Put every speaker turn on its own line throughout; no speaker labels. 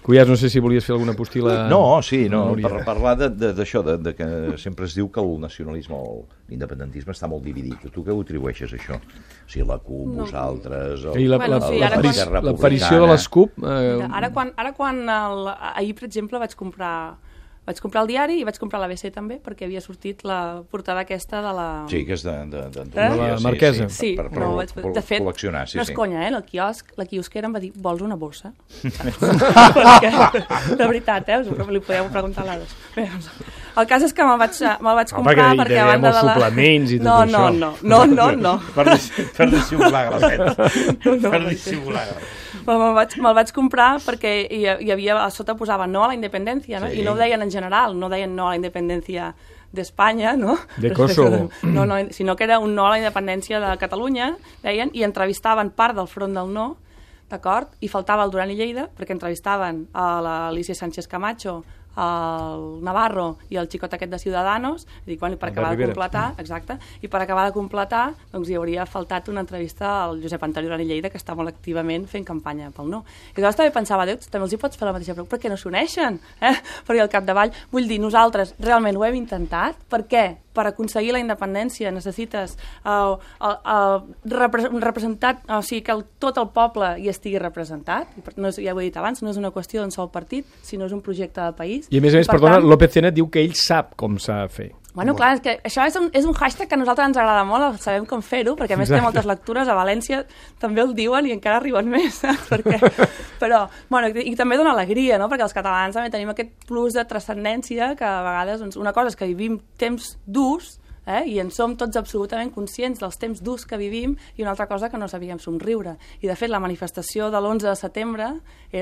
Cuyàs, no sé si volies fer alguna postila...
No, sí, per parlar d'això, que sempre es diu que el nacionalisme o l'independentisme està molt dividit. Tu què ho atribueixes, això? O sigui, la CUP, vosaltres...
L'aparició de les CUP...
Ara quan ahir, per exemple, vaig comprar el diari i vaig comprar l'ABC també, perquè havia sortit la portada aquesta de la...
Sí, que és de
la Marquesa.
Sí, de fet,
col·leccionar.
No és conya, la quiosquera em va dir, vols una bossa? De veritat, li podeu preguntar a l'Ades. El cas és que me'l vaig comprar perquè a banda de la...
suplements i tot
això. No.
Per dissimular grasset. Per dissimular grasset.
Me'l vaig comprar perquè hi havia, a sota posava no a la independència, no? I no ho deien en general, no deien no a la independència d'Espanya, no?
De Kosovo.
No, sinó que era un no a la independència de Catalunya, deien, i entrevistaven part del front del no, d'acord? I faltava el Duran i Lleida, perquè entrevistaven a l'Alicia Sánchez Camacho, el Navarro i el xicot aquest de Ciudadanos, i per acabar de completar, exacte, i per acabar de completar, doncs hi hauria faltat una entrevista al Josep Antoni Duran i Lleida, que està molt activament fent campanya pel no. I llavors també pensava, Déu, també els hi pots fer la mateixa pregunta, per què no s'uneixen? Perquè al capdavall, vull dir, nosaltres realment ho hem intentat, per què? Per aconseguir la independència necessites un representat, o sigui, que tot el poble hi estigui representat, ja ho he dit abans, no és una qüestió d'un sol partit, sinó és un projecte de país.
I a més, perdona, López Tena diu que ell sap com s'ha de fer.
Bueno, clar, és que això és un hashtag que a nosaltres ens agrada molt, sabem com fer-ho, perquè a més té moltes lectures, a València també el diuen i encara arriben més, saps? Però, bueno, i també dona alegria, no? Perquè els catalans també tenim aquest plus de transcendència que a vegades, doncs, una cosa és que vivim temps durs, i en som tots absolutament conscients dels temps durs que vivim, i una altra cosa que no sabíem somriure. I de fet la manifestació de l'11 de setembre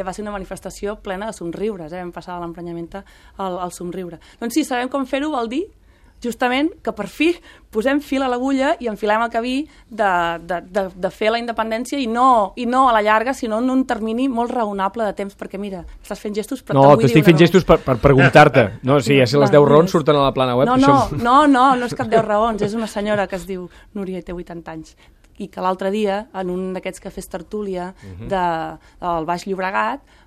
va ser una manifestació plena de somriures, vam passar de l'emprenyament al somriure. Doncs sí, sabem com fer-ho, vol dir justament que per fi posem fil a l'agulla i enfilem el camí de fer la independència i no a la llarga, sinó en un termini molt raonable de temps, perquè mira, estàs fent gestos però
no, t'estic fent gestos per preguntar-te. No, sí, ja sé, les 10 raons surten a la plana web.
No és cap 10 raons, és una senyora que es diu Núria i té 80 anys i que l'altre dia, en un d'aquests cafès tertúlia del Baix Llobregat,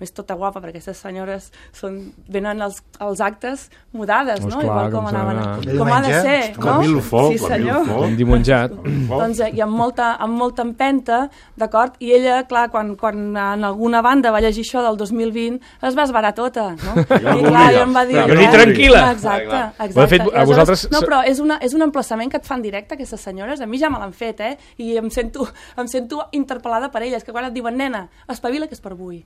més tota guapa, perquè aquestes senyores venen als actes mudades, no? Igual com ha de ser, no? Sí, senyor.
Com dimonjat.
Doncs i amb molta empenta, d'acord? I ella, clar, quan en alguna banda va llegir això del 2020, es va esvarar tota, no? I clar, ella em va dir...
Però ni tranquil·la!
Exacte. No, però és un emplaçament que et fan directe, aquestes senyores. A mi ja me l'han fet, i em sento interpel·lada per elles, que quan et diuen, nena, espavila que és per avui.